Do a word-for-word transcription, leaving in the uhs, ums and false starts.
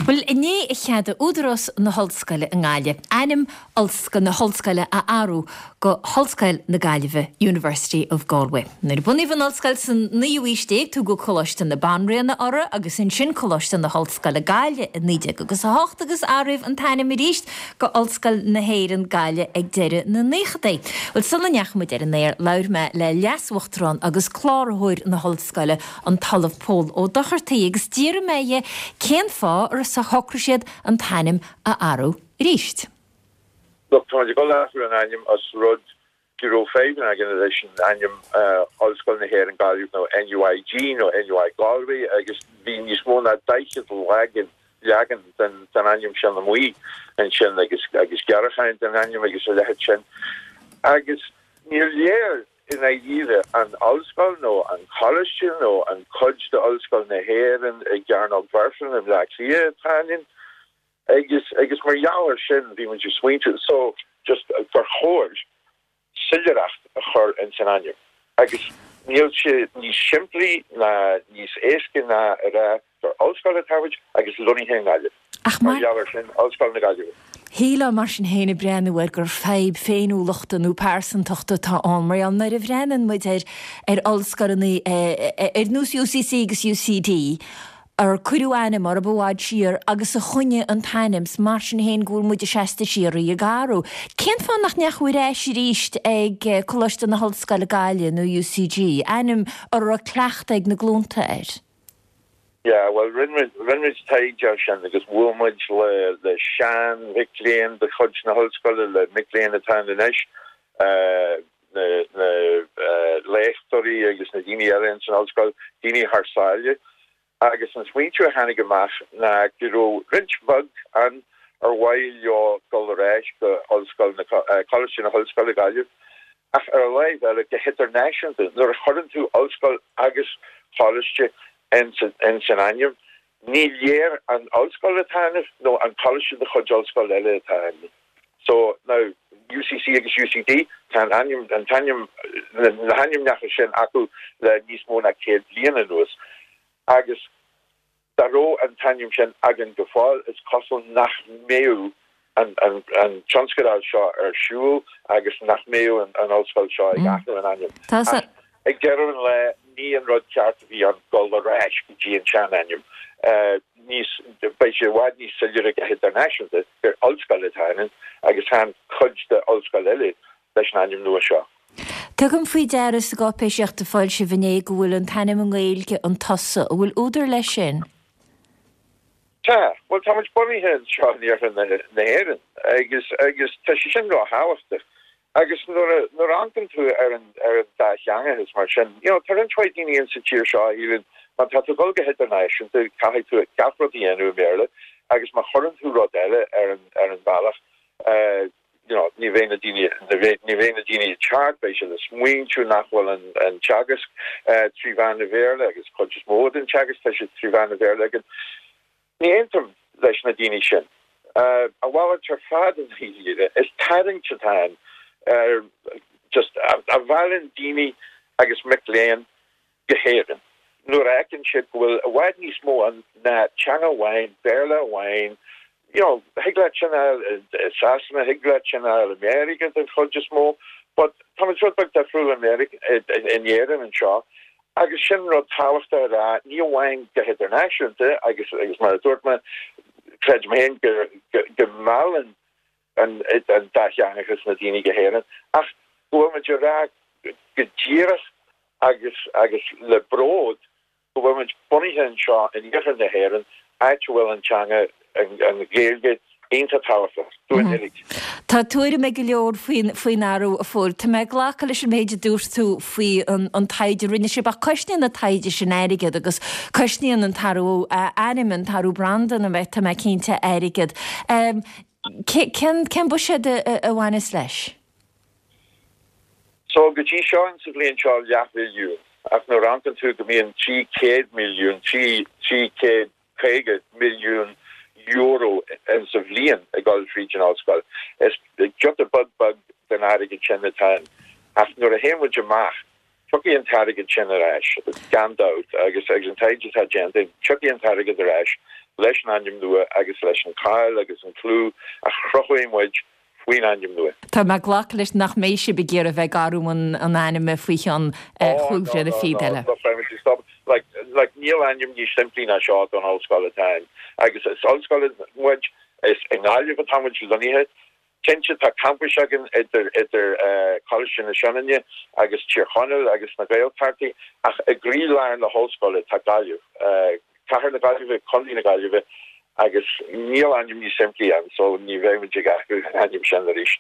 Well inné a cheadaigh Údarás na hOllscoile i nGaillimh ainm Ollscoil na hOllscoile a athrú go hOllscoil na Gaillimhe University of Galway. Nuair a bunaíodh an ollscoil san naoú haois déag tugadh Coláiste na Banríona uirthi agus ansin Coláiste na hOllscoile Gaillimh i naoi déag agus a hocht agus athraíodh an t-ainm arís go Ollscoil na hÉireann Gaillimh ag deireadh na naochadaí. Well sula ndeachaigh muid ar an aer labhair mé le leas-uachtarán agus cláraitheoir na hollscoile an tOllamh Pól Ó Dochartaigh agus d'iarr mé air cén fáth ar shocraigh siad an t-ainm a athrú arís. Look, tá go athrú an ainm as rud go raibh fadhb againn leis an ainm Ollscoil na hÉireann Gaillimh nó NUIG nó NUI Galway agus bhí níos mó ná daichead leagan leagan den den ainm sin amuigh ansin agus agus gearrchaint den ainm agus a leithéid sin. Agus níor léir i ndáiríre an ollscoil nó an coláiste nó an cuid de Ollscoil na hÉireann i gCearnóg Mhuirfean i mBleá Cliath atá ann. agus agus mar gheall air sin bhí muid ag smaointiú so just gur chóir soiléireacht a chur in san ainm. Agus níl sé níos simplí ná níos éasca ná a rá gur ollscoil atá muid agus lonnaithe i nGaillimh. Ach mar gheall air sin Ollscoil na Gaillimhe. Shílfeá mar sin féin ag breathnú air gur fadhb féiniúlachta nó pearsantachta atá ann mar nuair a bhreathnaíonn muid ar ar ollscoileanna ar nós UCC agus UCD, ar cuireadh ainm orthu i bhfad siar agus a choinnigh an t-ainm mar sin féin go bhfuil muid seasta siar ag athrú. Cén fáth nach ndeachaigh ar ais arís ag Coláiste na hOllscoile Gaillimh nó UCG, ainm a raibh cleachtadh ag na glúnta air. Yeah, well rinne muid taighde sin agus bhuail muid le le sean-mhic léinn de chuid na hollscoile le mic léinn atá anois uh, na na uh, léachtóirí agus na daoine eile san ollscoil daoine thar sáile agus an smaointiú a tháinig amach ná go raibh roinnt bheag ann ar mhaith leo dul ar ais go Ollscoil na Coláiste na hOllscoile Gaillimh ach ar a láimh eile go hidirnáisiúnta nuair a chuireann tú ollscoil agus coláiste in san ainm ní léir an ollscoil atá ann nó an coláiste de chuid ollscoil eile atá ann. So now UCC agus UCD tá an ainm an t-ainm na hainmneacha sin acu le níos mó ná céad bliain anuas. agus dá raibh an t-ainm sin againn go fóill is cosúil nach mbeadh an, an, an tionscadal seo ar siúl agus nach mbeadh an, an ollscoil seo ag athrú an ainm. Ag deireadh an lae ní an rud ceart a bhí ann dul ar ais go dtí an sean-ainm. Uh, níos beidh sé i bhfad níos soiléire go hidirnáisiúnta gur ollscoil atá ann agus chan cuid de ollscoil eile leis an ainm nua seo. Tugaim faoi deara sa gcáipéisíocht a foilsíodh inné go bhfuil an t-ainm i nGaeilge an tusa, an bhfuil údar leis sin? Tá, well tá bunaithe seo in iarthar na hÉireann agus agus tá sé sin ríthábhachtach. Agus nuair nuair a amharcann tú ar an ar an dátheangachas mar sin, you know, tá an daoine in sa tír seo ílan má tá tú dul go hidirnáisiúnta caithfidh tú gach rud a dhéanamh i mBéarla agus má chuireann tú rud eile ar an ar an bhealach uh, you know, ní bheidh na daoine ní bheidh na daoine ceart beidh sé le smaointiú nach bhfuil an, an teagasc uh, trí mheán an Bhéarla agus chuid is mó den teagasc tá sé trí mheán an Bhéarla againn. Ní aontaím leis na daoine sin. Uh, a mhalairt ar fad an híre is tarraingt atá uh, just a, a mheallann daoine agus mic léinn go hÉirinn. Nuair a fheiceann siad go bhfuil i bhfad níos mó an ná teanga amháin, Béarla amháin, you know, thig leat sin Sasana thig leat sin America den chuid is mó, but tá rud beag difriúil America in Éirinn anseo. Agus sin rud tábhachtach a rá ní amháin go hidirnáisiúnta agus agus mar a dúirt mé creidim féin go go meallann an an dátheangachas na daoine go hÉirinn ach go bhfuil muid rá go díreach agus agus le bród go bhfuil muid bunaithe anseo in iarthar na hÉireann áit a bhfuil an teanga an Ghaeilge iontach tábhachtach dúinn uilig. Tá tuairim ag go leor faoin faoin athrú a Phóil. Tá mé ag glacadh leis an méid a dúirt tú faoi an, an taighde rinne sibh ach cosnaíonn an taighde sin airgead agus cosnaíonn an t-athrú ainm an t-athrú branda na mé tá mé cinnte airgead. Um, cén cén buiséad a, a bhaineas leis? So go dtí seo sa bhliain seo leathmhilliún ach nuair a amharcann tú go mbíonn trí chéad milliún trí trí chéad caoga milliún euro in sa bhliain ag dul fríd an ollscoil. Is giota beag beag den airgead sin atá ach nuair a théann muid amach tiocfaidh an t-airgead sin ar ais gan dabht agus agus an taighde atá déanta tiocfaidh an t-airgead ar ais leis an ainm nua agus leis an cáil agus an clú a chruthaigh muid faoin ainm nua. Tá mé ag glacadh leis nach mbeidh sibh ag iarraidh bheith ag athrú an ainm faoi cheann cúpla na fiche eile. Like, like níl ainm níos simplí ná seo don ollscoil atá agus is ollscoil muid is i nGaillimh atá muid lonnaithe Cinnte tá campus againn idir idir Coláiste na Sionainne agus Tír Chonaill agus na Gaeltachtaí ach i gcroílár na hollscoile tá Gaillimh. Cathair na Gaillimhe Contae na Gaillimhe agus níl ainm níos simplí ann so ní bheidh muid ag athrú an ainm sin arís.